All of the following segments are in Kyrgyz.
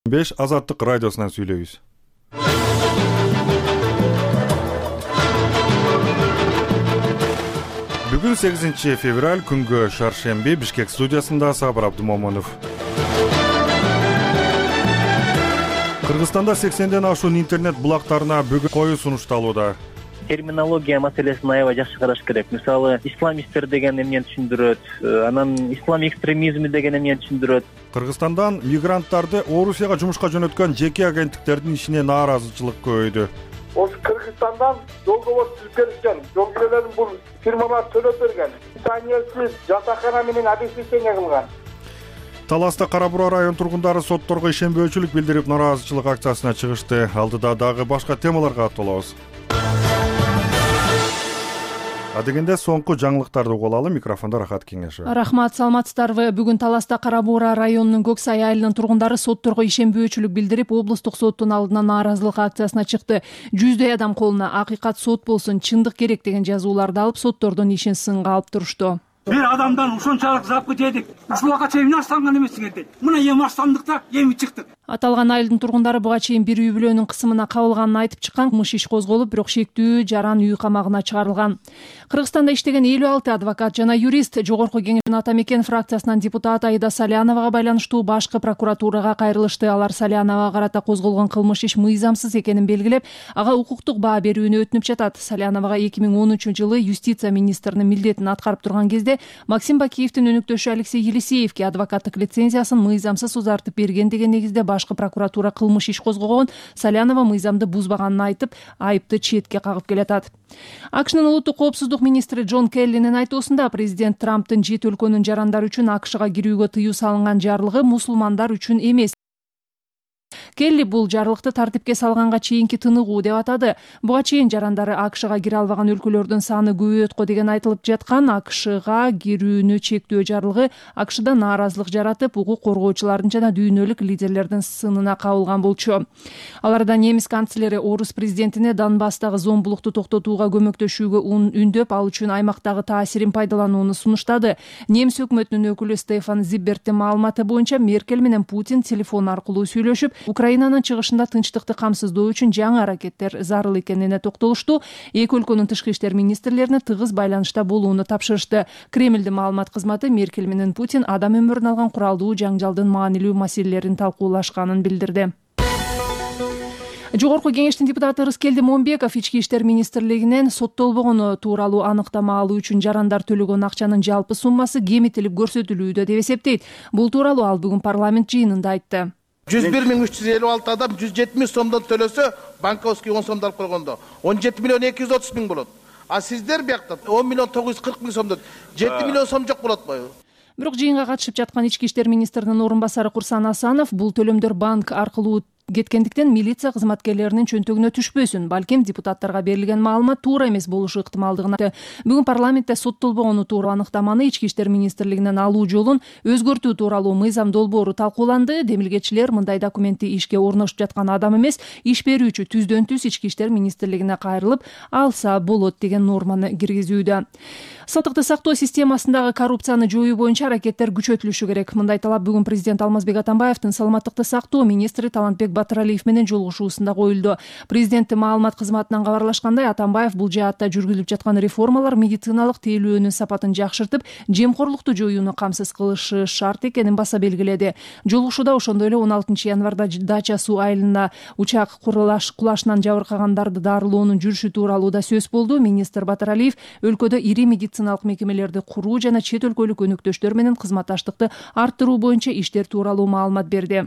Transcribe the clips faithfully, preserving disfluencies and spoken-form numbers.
беш Азаттык радиосунан сүйлөйбүз. Бүгүн сегизинчи февраль, күнгө шаршемби. Бишкек студиясында Сабыр Абдумомунов. Кыргызстанда сексенден ашуун интернет булактарына бүгүн коюу сунушталууда. Терминология маселесин аябай жакшы караш керек. Мисалы, исламисттер деген эмнени түшүндүрөт, анан ислам экстремизми деген эмнени түшүндүрөт. Кыргызстандан мигранттарды Орусияга жумушка жөнөткөн жеке агенттиктердин ишине нааразычылык көбөйдү. Осы Кыргызстандан жолдобор түзүп беришкен, жол кирелерин бул фирмалар төлөп берген. Саниясыз жатакана менен обеспечение кылган. Таласта Кара Бура район тургундары сотторго ишенбөөчүлүк билдирип нааразычылык акциясына чыгышты. Алдыда дагы башка темаларга тоолобуз. Адегенде соңку жаңылыктарды угуп алалы. Микрофондо Рахат Кеңешев. Рахмат, саламатсыздарбы? Бүгүн Таласта Кара Бура районунун Көк Сай айылынын тургундары сотторго ишенбөөчүлүк билдирип, облустук соттун алдына нааразылык акциясына чыкты. Жүздөй адам колуна акыйкат сот болсун, чындык керек деген жазууларды алып, соттордун ишин сынга алып турушту. Бир адамдан ушунчалык запы жедик. Ушулга чейин аштанган эмессиңер дейт. Мына эми аштандык да, эми чыктык. Аталган айылдын тургундары буга чейин бир үй бүлөнүн кысымына кабылганын айтып чыккан. Кылмыш иш козголуп, бирок шектүү жаран үй камагына чыгарылган. Кыргызстанда иштеген элүү алты адвокат жана юрист Жогорку Кеңештин Ата Мекен фракциясынан депутат Аида Саляновага байланыштуу башкы прокуратурага кайрылышты. Алар Саляновага карата козголгон кылмыш иш мыйзамсыз экенин белгилеп, ага укуктук баа берүүнү өтүнүп жатат. Саляновага эки миң он үчүнчү жылы юстиция министринин милдетин аткарып турган кезде Максим Бакиевдин өнөктөшү Алексей Елисеевке адвокаттык лицензиясын мыйзамсыз узартып берген деген негизде башкы прокуратура кылмыш иш козгогон. Салянова мыйзамды бузбаганын айтып, айыпты четке кагып келатат. АКШнын улуттук коопсуздук министри Джон Келлинин айтуусунда президент Трамптын жети өлкөнүн жарандары үчүн АКШга кирүүгө тыюу салынган жарлыгы мусулмандар үчүн эмес. Келли бул жарлыкты тартипке салганга чейинки тыныгуу деп атады. Буга чейин жарандары АКШга кире албаган өлкөлөрдүн саны көбөйөт го деген айтылып жаткан АКШга кирүүнү чектөө жарлыгы АКШда нааразылык жаратып, укук коргоочулардын жана дүйнөлүк лидерлердин сынына кабылган болчу. Аларда немис канцлери орус президентине Донбасстагы зомбулукту токтотууга көмөктөшүүгө үндөп, ал үчүн аймактагы таасирин пайдаланууну сунуштады. Немис өкмөтүнүн өкүлү Стефан Зибберттин маалыматы боюнча Меркель менен Путин телефон аркылуу сүйлөшүп, Украинанын чыгышында тынчтыкты камсыздоо үчүн жаңы аракеттер зарыл экенине токтолушту. Эки өлкөнүн тышкы иштер министрлерине тыгыз байланышта болууну тапшырышты. Кремлдин маалымат кызматы Меркель менен Путин адам өмүрүн алган куралдуу жаңжалдын маанилүү маселелерин талкуулашканын билдирди. Жогорку Кеңештин депутаты Рыскелди Момбеков ички иштер министрлигинен соттолбогону тууралуу аныктама алуу үчүн жарандар төлөгөн акчанын жалпы суммасы кемитилип көрсөтүлүүдө деп эсептейт. Бул тууралуу ал бүгүн парламент жыйынында айтты. жүз бир миң үч жүз элүү алты адам жүз жетимиш сомдон төлөсө, банковский он сомдо алып койгондо он жети миллион эки жүз отуз миң болот. А сиздер биякта он миллион тогуз жүз кырк миң сомдон жети миллион сом жок болот го. Бирок жыйынга катышып жаткан ички иштер министринин орун басары Курсан Асанов бул төлөмдөр банк аркылуу кеткендиктен милиция кызматкерлеринин чөнтөгүнө түшпөсүн, балким депутаттарга берилген маалымат туура эмес болушу ыктымалдыгын айтты. Бүгүн парламентте соттолбогону тууралуу аныктаманы ички иштер министрлигинен алуу жолун өзгөртүү тууралуу мыйзам долбоору талкууланды. Демилгечилер мындай документти ишке орношуп жаткан адам эмес, иш берүүчү түздөн түз ички иштер министрлигине кайрылып алса болот деген норманы киргизүүдө. Сатыкты сактоо системасындагы коррупцияны жоюу боюнча аракеттер күчөтүлүшү керек. Мындай талап бүгүн президент Алмазбек Атамбаевдин саламаттыкты сактоо министри Талантбек Батыралиев менен жолугушуусунда коюлду. Президенттин маалымат кызматынан кабарлашкандай, Атамбаев бул жаатта жүргүзүлүп жаткан реформалар медициналык тейлөөнүн сапатын жакшыртып, жемкорлукту жоюуну камсыз кылышы шарт экенин баса белгиледи. Жолугушууда ошондой эле он алтынчы январда Дача суу айылына учак кулашынан жабыркагандарды дарылоонун жүрүшү тууралуу да сөз болду. Министр Батыралиев өлкөдө ири медициналык мекемелерди куруу жана чет өлкөлүк өнөктөштөр менен кызматташтыкты арттыруу боюнча иштер тууралуу маалымат берди.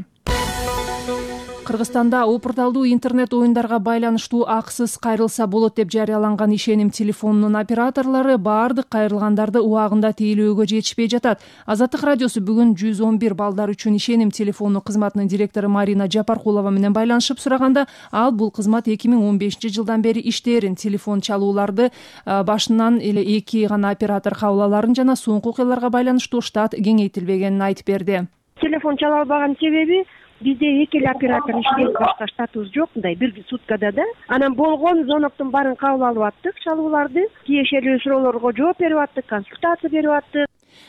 Кыргызстанда опурталдуу интернет оюндарга байланыштуу акысыз кайрылса болот деп жарыяланган ишеним телефонунун операторлору баардык кайрылгандарды убагында тейлөөгө жетишпей жатат. Азаттык радиосу бүгүн жүз он бир балдар үчүн ишеним телефону кызматынын директору Марина Жапаркулова менен байланышып сураганда, ал бул кызмат эки миң он бешинчи жылдан бери иштээрин, телефон чалууларды башынан эле эки гана оператор кабыл аларын жана соңку окуяларга байланыштуу штат кеңейтилбегенин айтып берди. Телефон чала албаган себеби бизде эки эле оператор иштейт, башка штатыбыз жок, мындай бир суткада да. Анан болгон звоноктун баарын кабыл алып аттык, чалууларды, тиешелүү суроолорго жооп берип аттык, консультация берип аттык.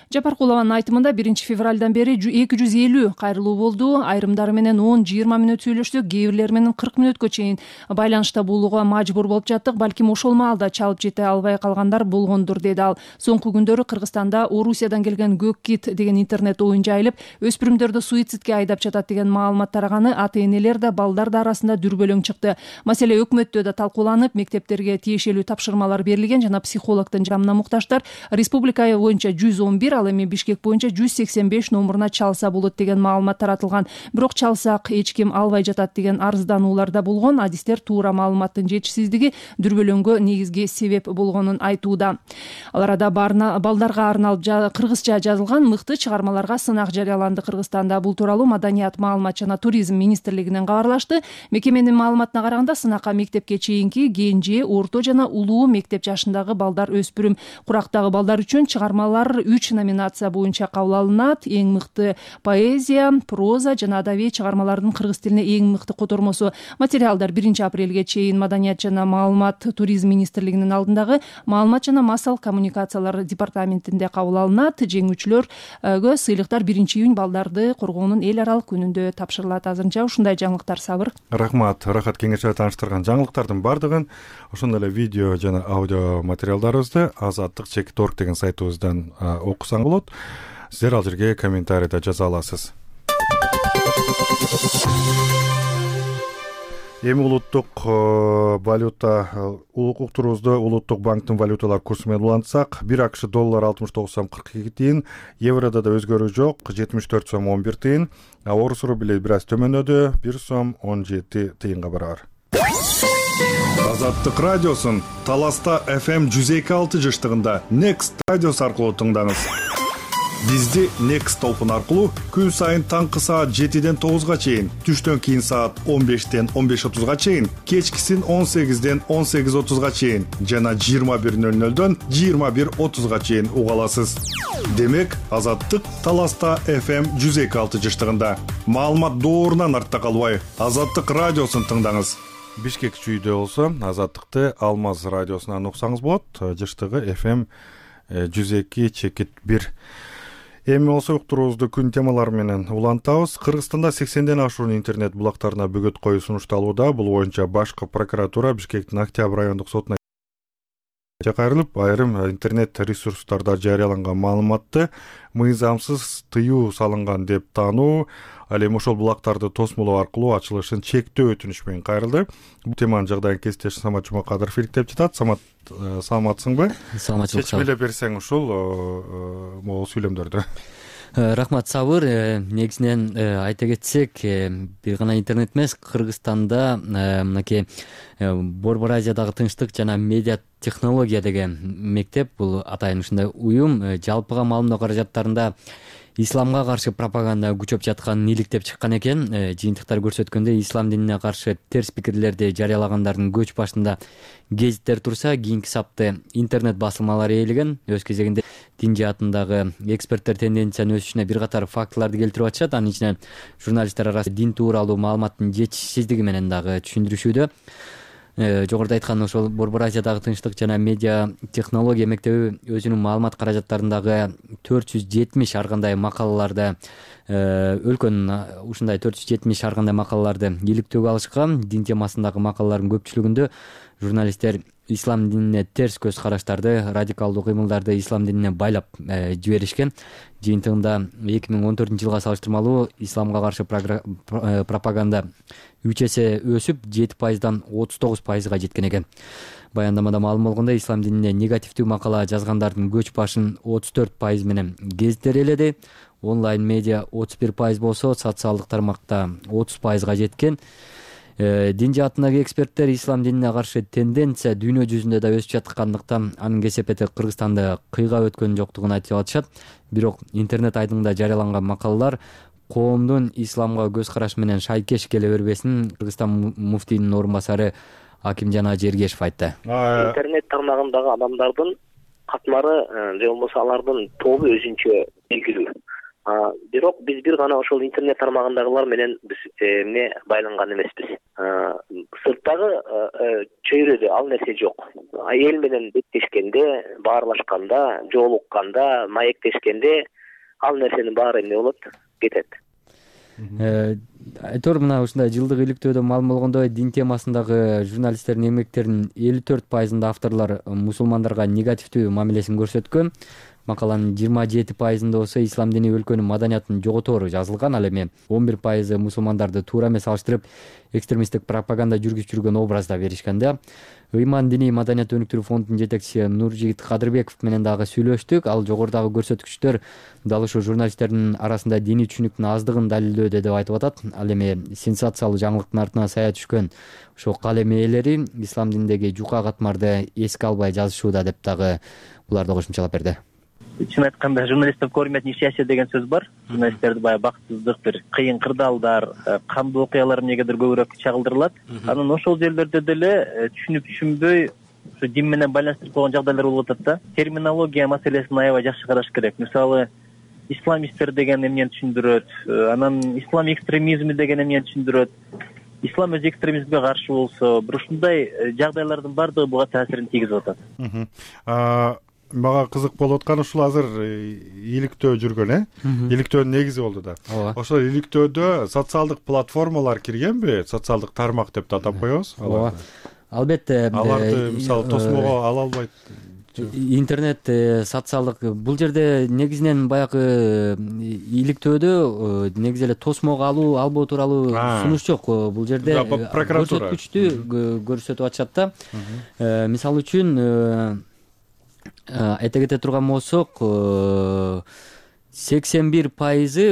Жапаркулованын айтымында биринчи февралдан бери эки жүз элүү кайрылуу болду. Айрымдары менен он жыйырма мүнөт сүйлөштүк, кээ бирлери менен кырк мүнөткө чейин байланышта болууга мажбур болуп жаттык. Балким ошол маалда чалып жете албай калгандар болгондур, деди ал. Соңку күндөрү Кыргызстанда Орусиядан келген көк кит деген интернет оюн жайылып, өспүрүмдөрдү суицидке айдап жатат деген маалымат тараганы ата-энелер да балдар да арасында дүрбөлөң чыкты. Маселе өкмөттө да талкууланып, мектептерге тиешелүү тапшырмалар берилген жана психологдун жардамына муктаждар республика боюнча жүз он бир, ал эми Бишкек боюнча жүз сексен беш номуруна чалса болот деген маалымат таратылган. Бирок чалсак эч ким албай жатат деген арыздануулар да болгон. Адистер туура маалыматтын жетишсиздиги дүрбөлөңгө негизги себеп болгонун айтууда. Ал арада балдарга арналып кыргызча жазылган мыкты чыгармаларга сынак жарыяланды Кыргызстанда. Бул тууралуу Маданият, маалымат жана туризм министрлигинен кабарлашты. Мекеменин маалыматына караганда сынакка мектепке чейинки, кенже, орто жана улуу мектеп жашындагы балдар, өспүрүм, курактагы балдар үчүн чыгармалар үч номинация боюнча кабыл алынат. Эң мыкты поэзия, проза жана адабий чыгармалардын кыргыз тилине эң мыкты котормосу. Материалдар биринчи апрелге чейин Маданият жана маалымат туризм министрлигинин алдындагы маалымат жана массалык коммуникациялар департаментинде кабыл алынат. Жеңүүчүлөргө сыйлыктар биринчи июнь балдарды коргоонун эл аралык күнүндө тапшырылат. Азырынча ушундай жаңылыктар. Сабыр. Рахмат. Рахат кеңешчи тааныштырган жаңылыктардын бардыгын ошондой эле видео жана аудио материалдарыбызды азаттык чекит точка орг деген сайтыбыздан окусаң болот. Сиздер ал жерге комментарийда жаза аласыз. Эми улуттук валюта уктурубузду улуттук банктын валюталар курсу менен улантсак, бир акш доллар алтымыш тогуз сом кырк эки тыйын, еврода да өзгөрүү жок, жетимиш төрт сом он бир тыйын, а орус рубли бир аз төмөнөдү, бир сом он жети тыйынга барабар. Азаттык радиосун Таласта эф эм жүз эки алты жыштыгында Next радиосу аркылуу тыңдаңыз. Бизди Next толкун аркылуу күн сайын таңкы саат жетиден тогузга чейин, түштөн кийин саат он бештен он беш отузга чейин, кечкисин он сегизден он сегиз отузга чейин жана жыйырма бир ноль нолдон жыйырма бир отузга чейин уга аласыз. Демек, Азаттык Таласта эф эм жүз эки алты жыштыгында. Маалымат доорунан артта калбай, Азаттык радиосун тыңдаңыз. Бишкек чүйдө болсо Азаттыкты Алмаз радиосунан уксаңыз болот. Жыштыгы эф эм жүз эки чекит бир. Эми болсо уктурубузду күн темалары менен улантабыз. Кыргызстанда сексенден ашуун интернет булактарына бөгөт коюу сунушталууда. Бул боюнча башкы прокуратура Бишкектин Октябрь райондук сотуна кайрылып, айрым интернет ресурстарда жарыяланган маалыматты мыйзамсыз тыюу салынган деп таануу, ал эми ошол булактарды тосмолоо аркылуу ачылышын чектөө өтүнүш менен кайрылды. Бул теманын жагдайын кесиптеш Самат Жумакадыров иликтеп жатат. Самат, саламатсыңбы? Саламатчылык. Чечип эле берсең ушул могул сүйлөмдөрдү. Рахмат, Сабыр. Негизинен айта кетсек, бир гана интернет эмес, Кыргызстанда мынакей Борбор Азиядагы тынчтык жана медиа технология деген мектеп, бул атайын ушундай уюм жалпыга маалымдоо каражаттарында исламга каршы пропаганда күчөп жатканын иликтеп чыккан экен. Жыйынтыктар көрсөткөндөй, ислам динине каршы терс пикирлерди жарыялагандардын көч башында гезиттер турса, кийинки сапты интернет басылмалары ээлеген. Өз кезегинде дин жаатындагы эксперттер тенденциянын өсүшүнө бир катар фактыларды келтирип атышат. Анын ичинен журналисттер арасында дин тууралуу маалыматтын жетишсиздиги менен дагы түшүндүрүшүүдө. Жогоруда айткан ошол Борбор Азиядагы тынчтык жана медиа технология мектеби өзүнүн маалымат каражаттарындагы төрт жүз жетимиш ар кандай макалаларды өлкөнүн ушундай төрт жүз жетимиш ар кандай макалаларды иликтөөгө алышкан. Дин темасындагы макалалардын көпчүлүгүндө журналисттер ислам динине терс көз караштарды, радикалдуу кыймылдарды ислам динине байлап жиберишкен. Жыйынтыгында эки миң он төртүнчү жылга салыштырмалуу исламга каршы пропаганда үч эсе өсүп, жети пайыздан отуз тогуз пайызга жеткен экен. Баяндамада маалым болгондой, ислам динине негативдүү макала жазгандардын көч башын отуз төрт пайыз менен гезиттер ээледи. Онлайн медиа отуз бир пайыз болсо, социалдык тармакта отуз пайызга жеткен. Дин жаатындагы эксперттер ислам динине каршы тенденция дүйнө жүзүндө да өсүп жаткандыктан анын кесепети Кыргызстанда кыйга өткөн жоктугун айтып атышат. Бирок интернет айдыңында жарыяланган макалалар коомдун исламга көз карашы менен шайкеш келе бербесин Кыргызстан муфтийинин орун басары Акимжан Ажергешев айтты. Интернет тармагындагы адамдардын катмары же болбосо алардын тобу өзүнчө белгилүү. Бирок биз бир гана ошол интернет тармагындагылар менен биз эмне байланган эмеспиз. Сырттагы чөйрөдө ал нерсе жок. эл менен беттешкенде, баарлашканда, жолукканда, маектешкенде ал нерсенин баары эмне болот? Кетет. Айтор мына ушундай жылдык иликтөөдө маалым болгондой, дин темасындагы журналисттердин эмгектеринин элүү төрт пайызында авторлор мусулмандарга негативдүү мамилесин көрсөткөн. Макаланын жыйырма жети пайызында болсо ислам дини өлкөнүн маданиятын жоготору жазылган. Ал эми он бир пайызы мусулмандарды туура эмес салыштырып, экстремисттик пропаганда жүргүзүп жүргөн образда беришкен да. Ыйман диний маданият өнүктүрүү фондунун жетекчиси Нуржигит Кадырбеков менен дагы сүйлөштүк. Ал жогорудагы көрсөткүчтөр дал ушул журналисттердин арасында диний түшүнүктүн аздыгын далилдөөдө деп айтып атат. Ал эми сенсациялуу жаңылыктын артына сая түшкөн ошол калем ээлери ислам дининдеги жука катмарды эске албай жазышууда деп дагы буларды кошумчалап берди. Чын айтканда, журналисттер көрмөтүн иши деген сөз бар. Журналисттерди баягы бактсыздык, бир кыйын кырдаалдар, кандуу окуялар эмнегедир көбүрөөк чагылдырылат. Анан ошол жерлерде деле түшүнүп түшүнбөй, ушу дин менен байланыштырып койгон жагдайлар болуп атат да. Терминология маселесин аябай жакшы караш керек. Мисалы, исламисттер деген эмнени түшүндүрөт, анан ислам экстремизми деген эмнени түшүндүрөт. Ислам өзү экстремизмге каршы болсо, бир ушундай жагдайлардын баардыгы буга таасирин тийгизип атат. Мага кызык болуп аткан ушул азыр иликтөө жүргөн, э? Иликтөөнүн негизи болду да. Ошол иликтөөдө социалдык платформалар киргенби? Социалдык тармак деп атап коебуз. Ооба. Албетте. Аларды мисалы тосмого ала албайт. Интернет социалдык бул жерде негизинен баягы иликтөөдө негизи эле тосмого алуу, албоо тууралуу сунуш жок. Бул жерде көрсөткүчтү көрсөтүп атышат да. Мисалы үчүн айта кете турган болсок, сексен бир пайызы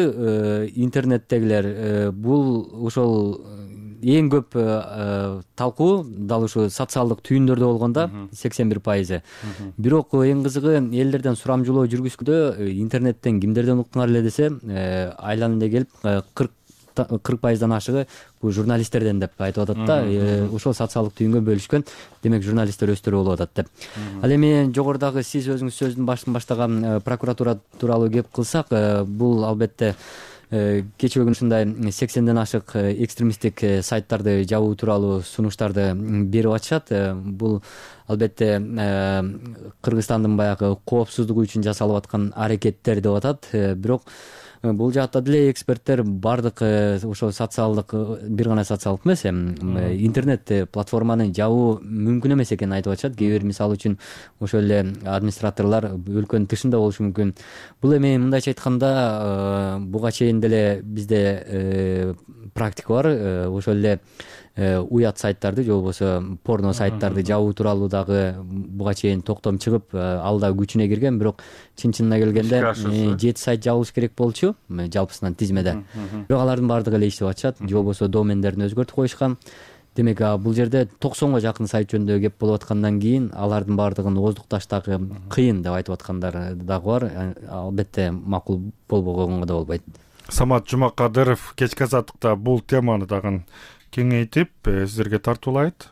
интернеттегилер бул ошол эң көп талкуу дал ушу социалдык түйүндөрдө болгон да, сексен бир пайызы. Бирок эң кызыгы, элдерден сурамжылоо жүргүзгөндө интернеттен кимдерден уктуңар эле десе, айланып эле келип кырк пайыздан ашыгы бул журналисттерден деп айтып атат да. Ошол социалдык түйүнгө бөлүшкөн. Демек журналисттер өздөрү болуп атат деп. Ал эми жогорудагы сиз өзүңүз сөздүн башын баштаган прокуратура тууралуу кеп кылсак, бул албетте кечээ күнү ушундай сексенден ашык экстремисттик сайттарды жабуу тууралуу сунуштарды берип атышат. Бул албетте Кыргызстандын баягы коопсуздугу үчүн жасалып аткан аракеттер деп атат. Бирок бул жакта деле эксперттер бардык ошол социалдык, бир гана социалдык эмес, интернет платформаны жабуу мүмкүн эмес экенин айтып атышат. Кээ бир мисалы үчүн ошол эле администраторлор өлкөнүн тышында болушу мүмкүн. Бул эми мындайча айтканда, буга чейин деле бизде практика бар. Ошол эле уят сайттарды же болбосо порно сайттарды жабуу тууралуу дагы буга чейин токтом чыгып, ал да күчүнө кирген. Бирок чын чынына келгенде жети сайт жабылыш керек болчу жалпысынан тизмеде. Бирок алардын баардыгы эле иштеп атышат, же болбосо домендерин өзгөртүп коюшкан. Демек бул жерде токсонго жакын сайт жөнүндө кеп болуп аткандан кийин алардын баардыгын ооздукташтагы кыйын деп айтып аткандар дагы бар. Албетте макул болбогонго да болбойт. Самат Жумакадыров кечки азаттыкта бул теманы дагы кеңейтип сиздерге тартуулайт.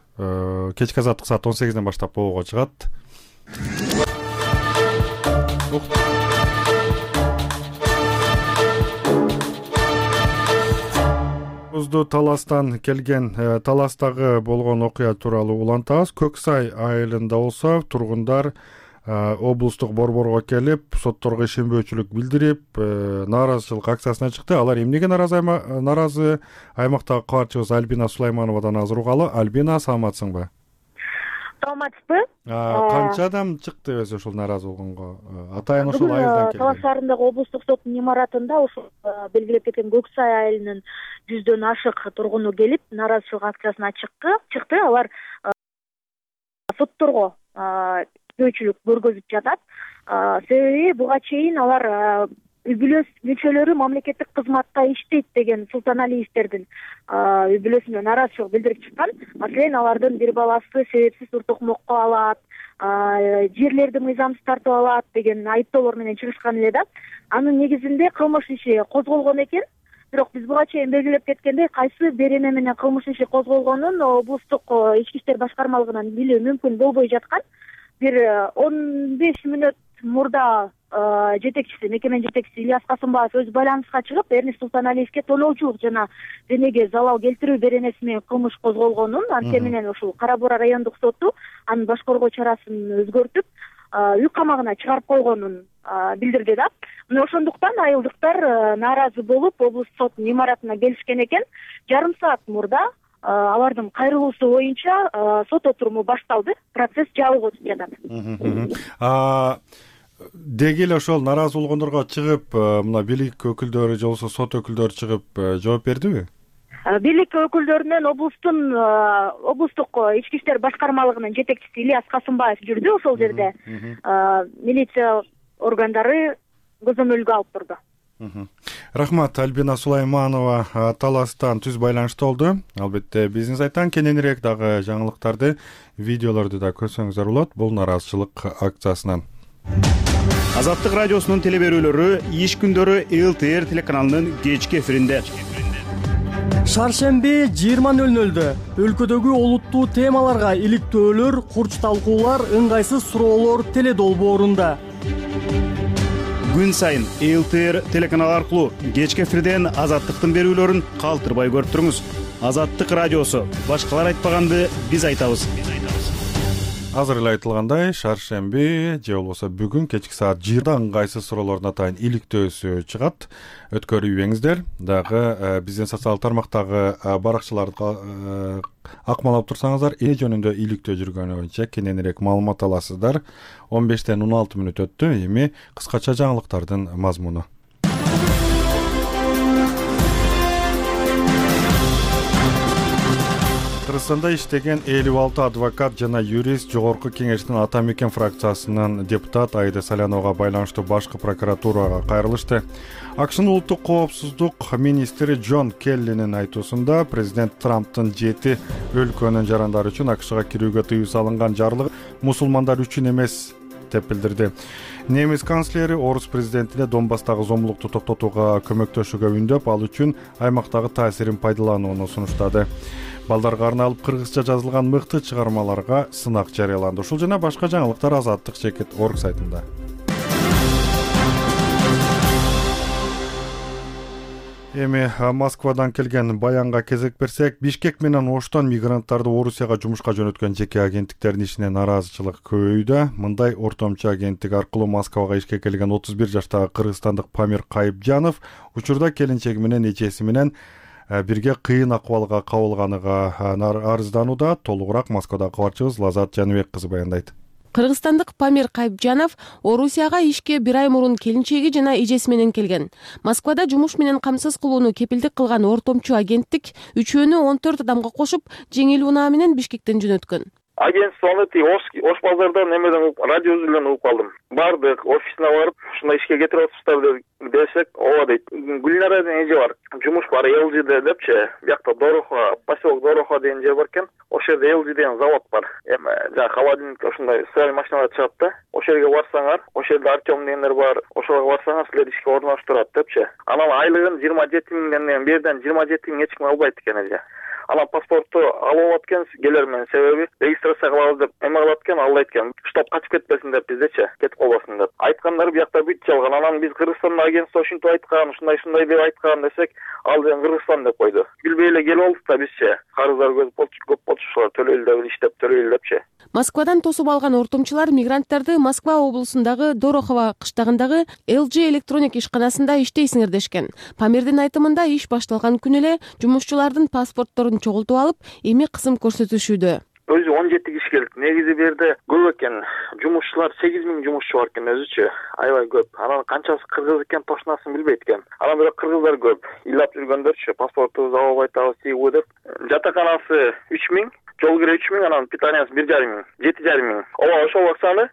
Кечки азаттык саат он сегизден баштап болууга чыгат. Таластан келген, Таластагы болгон окуя тууралуу улантабыз. Көк Сай айылында болсо тургундар облустук борборго келип, сотторго ишенбөөчүлүк билдирип, нааразычылык акциясына чыкты. Алар эмнеге наразы наразы? Аймактагы кабарчыбыз Альбина Сулаймановадан азыр угалы. Альбина, саламатсыңбы? Саламатсызбы? Канча адам чыкты өзү ушул нааразы болгонго? Атайын ушул айылдан келген. Талас шаарындагы облустук соттун имаратында ушул белгилеп кеткен Көк Сай айылынын жүздөн ашык тургуну келип, нааразычылык акциясына чыкты. Чыкты. Алар сотторго ишенбөөчүлүк көргөзүп жатат. Себеби буга чейин алар үй бүлө мүчөлөрү мамлекеттик кызматта иштейт деген Султаналиевдердин үй бүлөсүнө нааразычылык билдирип чыккан. Маселен, алардын бир баласы себепсиз уртукмокко алат, жерлерди мыйзамсыз тартып алат деген айыптоолор менен чыгышкан эле да. Анын негизинде кылмыш иши козголгон экен. Бирок биз буга чейин белгилеп кеткендей, кайсы береме менен кылмыш иши козголгонун облустук ички иштер башкармалыгынан билүү мүмкүн болбой жаткан. Бир он беш мүнөт мурда жетекчиси мекеменин жетекчиси Ильяс Касымбаев өзү байланыска чыгып Эрнис Султаналиевге тоноочулук жана денеге залал келтирүү беренеси менен кылмыш козголгонун, анткени менен ушул Кара Буура райондук соту анын баш коргоо чарасын өзгөртүп үй камагына чыгарып койгонун билдирди да. Мына ошондуктан айылдыктар нааразы болуп облустук соттун имаратына келишкен экен. Жарым саат мурда алардын кайрылуусу боюнча сот отуруму башталды. Процесс жабык өтүп жатат. Деги эле ошол нааразы болгондорго чыгып, мына бийлик өкүлдөрү же болбосо сот өкүлдөрү чыгып жооп бердиби? Бийлик өкүлдөрүнөн облустун облустук ички иштер башкармалыгынын жетекчиси Ильяс Касымбаев жүрдү ошол жерде. Милиция органдары көзөмөлгө алып турду. Рахмат, Альбина Сулайманова Таластан түз байланышта болду. Албетте биздин сайттан кененирээк дагы жаңылыктарды, видеолорду да көрсөңүздөр болот бул нааразычылык акциясынан. Азаттык радиосунун теле берүүлөрү иш күндөрү эл ти эр телеканалынын кечки эфиринде. Шаршемби жыйырма нөл нөлдө өлкөдөгү олуттуу темаларга иликтөөлөр, курч талкуулар, ыңгайсыз суроолор теле долбоорунда. Күн сайын эл ти эр телеканалы аркылуу кечки эфирден Азаттыктын берүүлөрүн калтырбай көрүп туруңуз. Азаттык радиосу. Башкалар айтпаганды биз айтабыз. Азыр эле айтылгандай, шаршемби же болбосо бүгүн кечки саат жыйырмада ыңгайсыз суроолордун атайын иликтөөсү чыгат. Өткөрүбөңүздөр. Дагы биздин социалдык тармактагы баракчаларды акмалап турсаңыздар, эне жөнүндө иликтөө жүргөнү боюнча кененирээк маалымат аласыздар. он бештен он алты мүнөт өттү. Эми кыскача жаңылыктардын мазмуну. Кыргызстанда иштеген элүү алты адвокат жана юрист Жогорку Кеңештин Ата Мекен фракциясынын депутат Айда Саляновага байланыштуу башкы прокуратурага кайрылышты. АКШнын улуттук коопсуздук министри Джон Келлинин айтуусунда президент Трамптын жети өлкөнүн жарандары үчүн АКШга кирүүгө тыюу салынган жарлыгы мусулмандар үчүн эмес деп билдирди. Немис канцлери орус президентине Донбасстагы зомбулукту токтотууга көмөктөшүүгө үндөп, ал үчүн аймактагы таасирин пайдаланууну сунуштады. Балдарга арналып кыргызча жазылган мыкты чыгармаларга сынак жарыяланды. Ушул жана башка жаңылыктар Азаттык чекит орг сайтында. Эми Москвадан келген баянга кезек берсек, Бишкек менен Оштон мигранттарды Орусияга жумушка жөнөткөн жеке агенттиктердин ишине нааразычылык көбөйүүдө. Мындай ортомчу агенттик аркылуу Москвага ишке келген отуз бир жаштагы кыргызстандык Памир Кайыпжанов учурда келинчеги менен эчеси менен бирге кыйын акыбалга кабылганыга арызданууда. Толугураак Москвадагы кабарчыбыз Лазат Жаныбек кызы баяндайт. Кыргызстандык Памир Кайыпжанов Орусияга ишке бир ай мурун келинчеги жана эжеси менен келген. Москвада жумуш менен камсыз кылууну кепилдик кылган ортомчу агенттик үчөөнү он төрт адамга кошуп, жеңил унаа менен Бишкектен жөнөткөн. Агентство Ош базардан немеден радио үзүлгөн угуп калдым. Бардык, офисине барып, ушундай ишке кетирип атышпыздар десек, ооба дейт. Гүлнара деген эже бар. Жумуш бар эл жиде депчи. Биякта Дорохо, поселок Дорохо деген жер бар экен. Ошол жерде эл жи деген завод бар. Эми жана холодильник ушундай стиральный машиналар чыгат да. Ошол жерге барсаңар, ошол жерде Артем дегендер бар. Ошолго барсаңар, силер ишке орноштурат депчи. Анан айлыгын жыйырма жети миңден берден жыйырма жети миң эч ким албайт экен эже. Анан паспортту алып алат экен, келер менен себеби регистрация кылабыз деп эме кылат экен, ал айткан, штоп качып кетпесин деп биздечи, кетип калбасын деп. Айткандары биякта бүт жалган. Анан биз Кыргызстанда агентство ушинтип айткан, ушундай ушундай деп айткан десек, ал деген Кыргызстан деп койду. Билбей эле келип алдык да бизчи. Карыздар көп болчу, төлөйлү деп иштеп төлөйлү депчи. Москвадан тосуп алган ортомчулар мигранттарды Москва облусундагы Дорохово кыштагындагы эл жи электроник ишканасында иштейсиңер дешкен. Памирдин айтымында иш башталган күнү эле жумушчулардын паспортторун чогултуп алып, эми кысым көрсөтүшүүдө. Өзү он жети киши келди. Негизи бу жерде көп экен. Жумушчулар сегиз миң жумушчу бар экен өзүчү. Аябай көп. Анан канчасы кыргыз экен тошунасын билбейт экен. Анан бирок кыргыздар көп. Ыйлап жүргөндөрчү, паспортубузду алып айтабыз, тийгүү деп. Жатаканасы үч миң, жол кире үч миң, анан питаниясы бир жарым миң, жети жарым миң. Ооба, ошол акчаны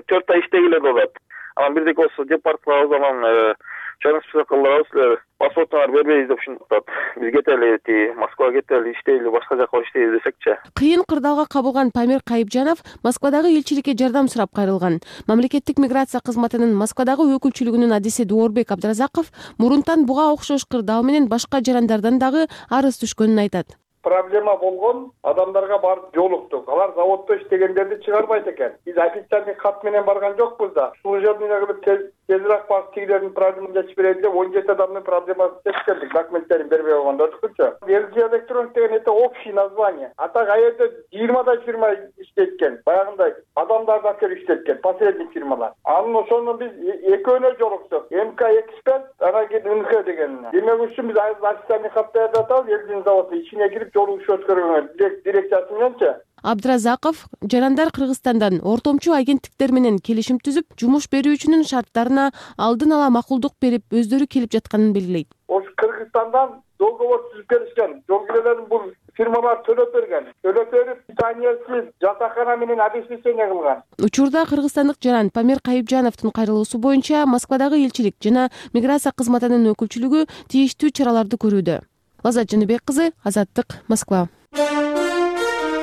төрт ай иштегиле болот. Анан бирдек болсо депорт кылабыз, анан чоң список кылдырабыз, силер паспортуңарды бербейбиз деп ушинтип атат. Биз кетели, ти Москвага кетели, иштейли, башка жака иштейли десекчи. Кыйын кырдаалга кабылган Памир Кайыпжанов Москвадагы элчиликке жардам сурап кайрылган. Мамлекеттик миграция кызматынын Москвадагы өкүлчүлүгүнүн адиси Дуорбек Абдыразаков мурунтан буга окшош кырдаал менен башка жарандардан дагы арыз түшкөнүн айтат. Проблема болгон адамдарга барып жолуктук. Алар заводдо иштегендерди чыгарбайт экен. Биз официальный кат менен барган жокпуз да. Служебный кылып тезирээк барып тигилердин проблемасын чечип берели деп он жети адамдын проблемасын чечип келдик, документтерин бербей койгондо өткүнчө. эл джи электроник деген это общий название, а так а жерде жыйырмадай фирма иштейт экен, баягындай адамдарды алып келип иштейт экен, посредник фирмалар. Анан ошону біз экөөнө жолуксук, МК эксперт, анан кийин НХ дегенине. Демек үчүн биз официальный кат даярдап атабыз, элдин заводу ичине кирип жолугуш өткөргөнгө дирекциясы мененчи. Абдыразаков жарандар Кыргызстандан ортомчу агенттиктер менен келишим түзүп, жумуш берүүчүнүн шарттарына алдын ала макулдук берип, өздөрү келип жатканын белгилейт. Ош Кыргызстандан договор түзүп келишкен, жол кирелерин бул фирмалар төлөп берген. Төлөп берип, питаниесиз жатакана менен обеспечение кылган. Учурда кыргызстандык жаран Памир Кайыпжановдун кайрылуусу боюнча Москвадагы элчилик жана миграция кызматынын өкүлчүлүгү тийиштүү чараларды көрүүдө. Азат Жаныбек кызы, Азаттык, Москва.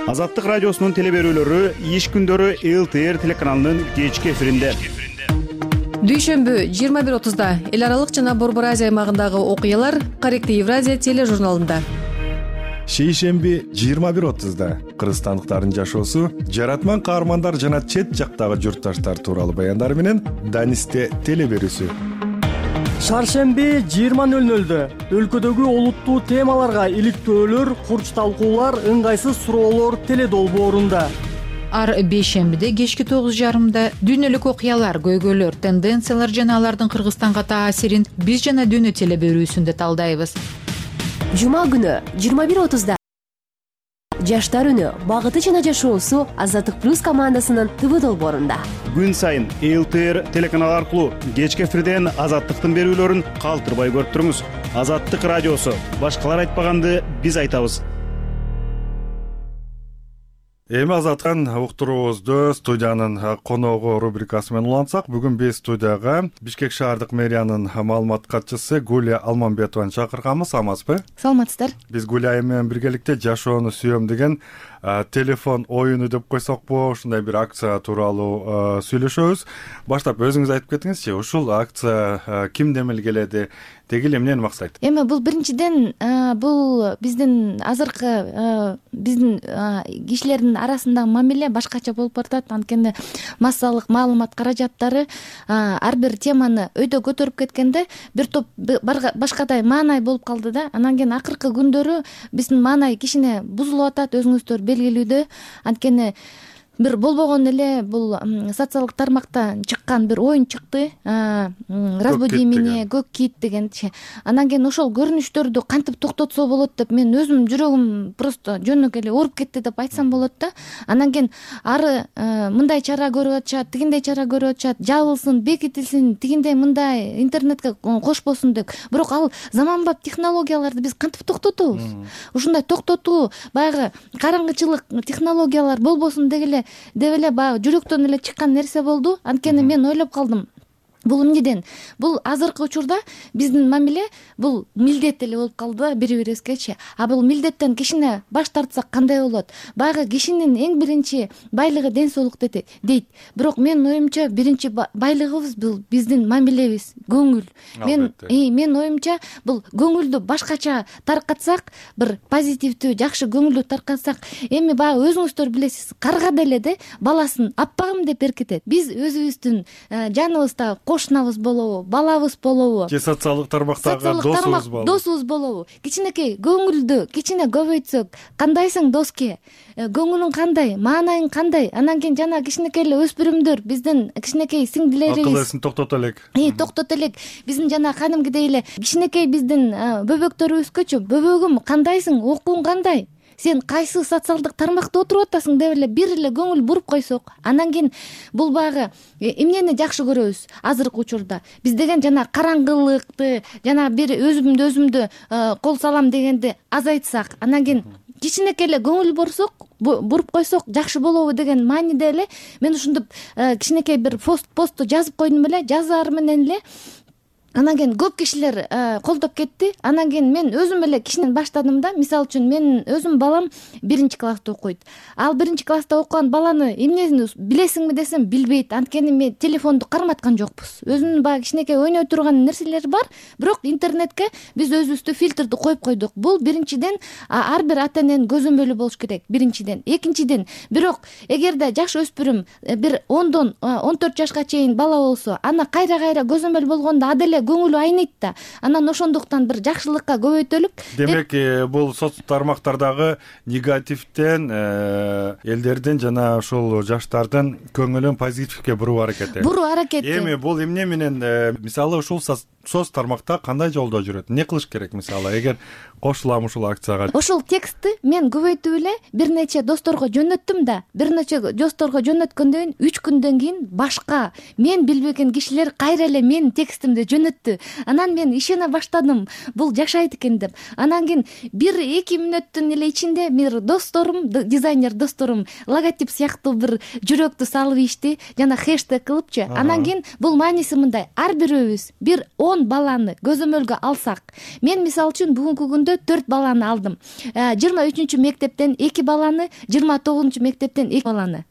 Азаттык радиосунун теле берүүлөрү иш күндөрү эл тэ эр телеканалынын кечки эфиринде. Дүйшөмбү жыйырма бир отузда эл аралык жана Борбор Азия аймагындагы окуялар Корректив Евразия тележурналында. Шейшемби жыйырма бир отузда кыргызстандыктардын жашоосу, жаратман каармандар жана чет жактагы журтташтар тууралуу баяндар менен Данисте теле берүүсү. Шаршемби жыйырма нөл нөлдө өлкөдөгү олуттуу темаларга иликтөөлөр, курч талкуулар, ыңгайсыз суроолор теле долбоорунда. Ар бейшембиде кечки тогуз жарымда дүйнөлүк окуялар, көйгөйлөр, тенденциялар жана алардын Кыргызстанга таасирин биз жана дүйнө теле берүүсүндө талдайбыз. Жума күнү жыйырма бир отузда Жаштар үнү, багыты жана жашоосу Азаттык плюс командасынын ТВ долбоорунда. Күн сайын эл тэ эр телеканалы аркылуу кечки эфирден Азаттыктын берүүлөрүн калтырбай көрүп туруңуз. Азаттык радиосу, башкалар айтпаганды биз айтабыз. Эми Азаттык уктуруубузду студиянын коногу рубрикасы менен улантсак, бүгүн биз студияга Бишкек шаардык мэриянын маалымат катчысы Гулия Алмамбетованы чакырганбыз. Амансызбы? Саламатсыздар. Биз Гулия менен биргеликте жашоону сүйөм деген телефон оюну деп койсокпу, ушундай бир акция тууралуу сүйлөшөбүз. Баштап өзүңүз айтып кетиңизчи, ушул акция кимден келеди, деги эле эмнени максайт? Эми бул биринчиден бул биздин азыркы биздин кишилердин арасындагы мамиле башкача болуп баратат. Анткени массалык маалымат каражаттары ар бир теманы өйдө көтөрүп кеткенде бир топ башкадай маанай болуп калды да. Анан кийин акыркы күндөрү биздин маанай кичине бузулуп атат, өзүңүздөр белгилүүдө. Анткени бир болбогон эле бул социалдык тармакта чыккан бир оюн чыкты, разбуди меня, көк кит дегенчи. Анан кийин ошол көрүнүштөрдү кантип токтотсо болот деп мен өзүм жүрөгүм просто жөнөкөй эле ооруп кетти деп айтсам болот да. Анан кийин ары мындай чара көрүп атышат, тигиндей чара көрүп атышат, жабылсын, бекитилсин, тигиндей мындай интернетке кошпосун деп. Бирок ал заманбап технологияларды биз кантип токтотобуз? Ушундай токтотуу баягы караңгычылык технологиялар болбосун дегеле деп эле баягы жүрөктөн эле чыккан нерсе болду. Анткени мен ойлоп калдым. Бул эмнеден? Бул азыркы учурда биздин мамиле бул милдет эле болуп калды бири бирибизгечи. А бул милдеттен кичине баш тартсак кандай болот? Баягы кишинин эң биринчи байлыгы ден соолук дейт. Бирок менин оюмча биринчи байлыгыбыз бул биздин мамилебиз, көңүл. Мен мен оюмча бул көңүлдү башкача таркатсак, бир позитивдүү, жакшы көңүлдү таркатсак, эми баягы өзүңүздөр билесиз, карга деле де баласын аппагым деп эркетет. Биз өзүбүздүн жаныбызда кошунабыз болобу, балабыз болобу, же социалдык тармактагы досубуз болобу, досубуз болобу, кичинекей көңүлдү кичине көбөйтсөк, кандайсың доске, көңүлүң кандай, маанайың кандай, анан кийин жана кичинекей эле өспүрүмдөр, биздин кичинекей сиңдилерибиз акыл эсин токтото элек, и токтото элек, биздин жана кадимкидей эле кичинекей биздин бөбөктөрүбүзгөчү, бөбөгүм кандайсың, окууң кандай, сен кайсы социалдык тармакта отуруп атасың деп эле бир эле көңүл буруп койсок, анан кийин бул багы эмнени жакшы көрөбүз азыркы учурда? Биз деген жана караңгылыкты, жана бир өзүмдү өзүмдү кол салам дегенди азайтсак, анан кийин кичинекей эле көңүл бурсок, буруп койсок жакшы болобу деген мааниде эле мен ушунтип кичинекей бир пост посту жазып койдум эле, жазаар менен эле анан кийин көп кишилер колдоп кетти. Анан кийин мен өзүм эле кичинен баштадым да. Мисалы үчүн менин өзүм балам биринчи класста окуйт. Ал биринчи класста окуган баланы эмнесин билесиңби десем билбейт. Анткени мен телефонду карматкан жокпуз. Өзүнүн баягы кичинекей ойной турган нерселери бар, бирок интернетке биз өзүбүздө фильтрди коюп койдук. Бул биринчиден ар бир ата эненин көзөмөлү болуш керек. Биринчиден, экинчиден, бирок эгерде жаш өспүрүм бир ондон он төрт жашка чейин бала болсо, ана кайра-кайра көзөмөл болгондо аделе көңүлү айныйт да. Анан ошондуктан бир жакшылыкка көбөйтөлүк. Демек, бул соц тармактардагы негативден элдердин жана ошол жаштардын көңүлүн позитивге буруу аракети. Буруу аракети. Эми бул эмне менен, мисалы ушул соц тармакта кандай жолдо жүрөт? Эмне кылыш керек мисалы, эгер кошулам ушул акцияга? Ошол текстти мен көбөйтүп эле бир нече досторго жөнөттүм да. Бир нече досторго жөнөткөндөн кийин үч күндөн кийин башка мен билбеген кишилер кайра эле менин текстимди жөнөттү. Анан мен ишене баштадым, бул жашайт экен деп. Анан кийин бир эки мүнөттүн эле ичинде бир досторум, дизайнер досторум логотип сыяктуу бир жүрөктү салып ийишти, жана хэштег кылыпчы. Анан кийин бул мааниси мындай: ар бирөөбүз бир он баланы көзөмөлгө алсак, мен мисалы үчүн бүгүнкү күндө төрт баланы алдым. жыйырма үчүнчү мектептен эки баланы, жыйырма тогузунчу мектептен эки баланы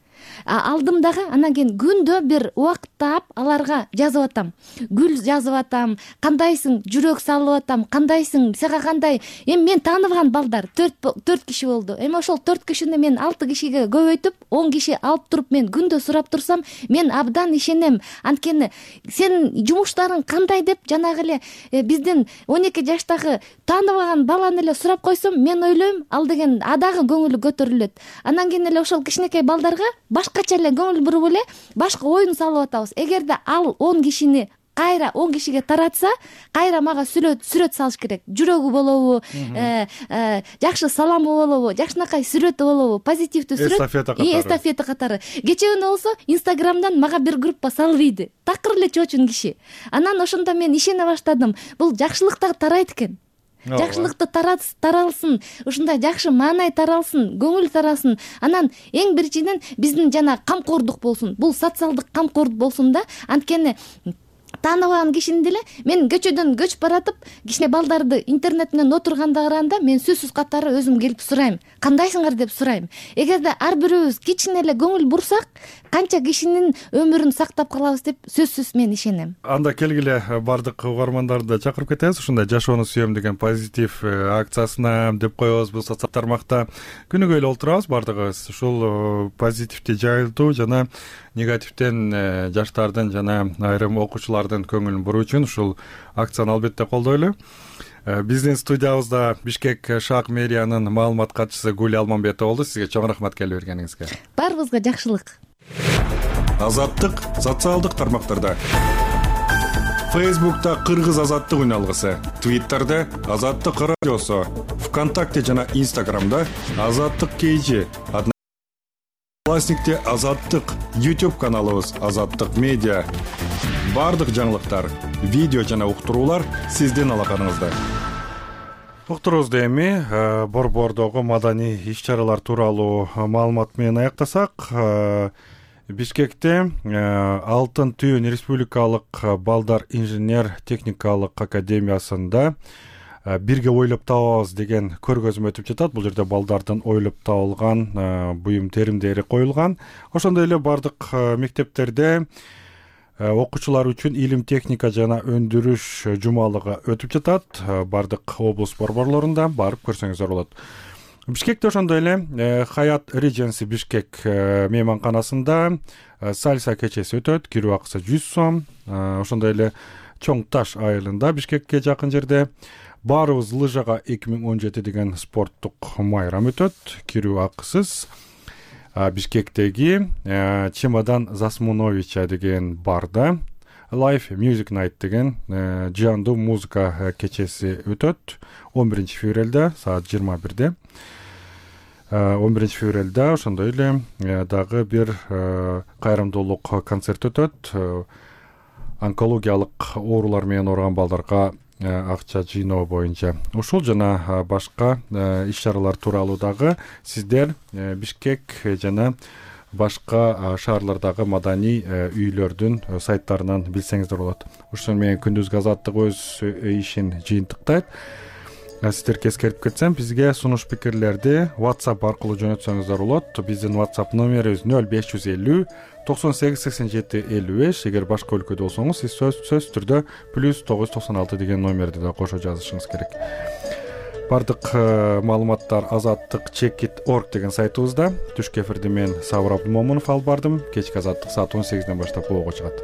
алдым дагы. Анан кийин күндө бир убакыт таап аларга жазып атам. Гүл жазып атам, кандайсың, жүрөк салып атам, кандайсың, сага кандай. Эми мен тааныган балдар төрт төрт киши болду. Эми ошол төрт кишини мен алты кишиге көбөйтүп, он киши алып туруп мен күндө сурап турсам, мен абдан ишенем. Анткени сенин жумуштарың кандай деп жанагы эле биздин он эки жаштагы тааныбаган баланы эле сурап койсом, мен ойлойм, ал деген адагы көңүлү көтөрүлөт. Анан кийин эле ошол кичинекей балдарга башкача эле көңүл буруп эле башка оюн салып атабыз. Эгерде ал он кишини кайра он кишиге таратса, кайра мага сүрөт сүрөт салыш керек. Жүрөгү болобу, жакшы саламы болобу, жакшынакай сүрөтү болобу, позитивдүү сүрөт. Эстафета катары. Эстафета катары. Кечээ күнү болсо Инстаграмдан мага бир группа салып ийди. Такыр эле чоочун киши. Анан ошондо мен ишене баштадым. Бул жакшылык да тарайт экен. Жакшылыкты таралсын, ушундай жакшы маанай таралсын, көңүл таралсын. Анан эң биринчиден биздин жана камкордук болсун. Бул социалдык камкордук болсун да. Анткени тааныбаган кишини деле мен көчөдөн көчүп баратып, кичине балдарды интернет менен отурганда караганда мен сөзсүз катары өзүм келип сурайм. Кандайсыңар деп сурайм. Эгерде ар бирөөбүз кичине эле көңүл бурсак, канча кишинин өмүрүн сактап калабыз деп сөзсүз мен ишенем. Анда келгиле бардык угармандарды чакырып кетебиз. Ушундай жашоону сүйөм деген позитив акциясына деп коебуз. Бул социал тармакта күнүгө эле олтурабыз бардыгыбыз. Ушул позитивди жайылтуу жана негативден жаштардын жана айрым окуучулардын көңүлүн буруу үчүн ушул акцияны албетте колдойлу. Биздин студиябызда Бишкек шаак мэриянын маалымат катчысы Гүл Алмамбетова болду. Сизге чоң рахмат келип бергениңизге. Баарыбызга жакшылык. Азаттык социалдык тармактарда. Фейсбукта Кыргыз азаттык үн алгысы, Твиттерде Азаттык радиосу, ВКонтакте жана Инстаграмда Азаттык кейжи, Одноклассникте Азаттык, YouTube каналыбыз Азаттык медиа. Бардык жаңылыктар, видео жана уктуруулар сиздин алаканыңызда. Уктуруубузду эми борбордогу маданий иш-чаралар тууралуу маалымат менен аяктасак, Бишкекте Алтын түйүн республикалык балдар инженер техникалык академиясында бирге ойлоп табабыз деген көргөзмө өтүп жатат. Бул жерде балдардын ойлоп табылган буюм теримдери коюлган. Ошондой эле бардык мектептерде окуучулар үчүн илим техника жана өндүрүш жумалыгы өтүп жатат. Бардык облус борборлорунда барып көрсөңүздөр болот. Бишкекте ошондой эле Хаят Regency Бишкек мейманканасында сальса кечеси өтөт. Кирүү акысы жүз сом. Ошондой эле Чоң Таш айылында Бишкекке жакын жерде Баарыбыз лыжага эки миң он жети деген спорттук майрам өтөт. Кирүү акысыз. Бишкектеги Чемодан Засмуновича деген барда Live Music Night деген жандуу музыка кечеси өтөт. он биринчи февралда саат жыйырма бирде. он биринчи февралда ошондой эле дагы бир кайрымдуулук концерт өтөт. Онкологиялык оорулар менен ооруган балдарга акча жыйноо боюнча. Ушул жана башка иш-чаралар тууралуу дагы сиздер Бишкек жана башка шаарлардагы маданий үйлөрдүн сайттарынан билсеңиздер болот. Ошол менен күндүзгү азаттык өз ишин жыйынтыктайт. Сиздерге эскертип кетсем, бизге сунуш пикирлерди WhatsApp аркылуу жөнөтсөңүздөр болот. Биздин WhatsApp номерибиз нөл беш жүз элүү токсон сегиз сексен жети элүү беш. Эгер башка өлкөдө болсоңуз, сиз сөз сөз түрдө плюс тогуз жүз токсон алты деген номерди да кошо жазышыңыз керек. Бардык маалыматтар азаттык чекит точка орг деген сайтыбызда. Түшкү эфирди мен Сабыр Абдымомунов алып бардым. Кечки азаттык саат он сегизден баштап блогго чыгат.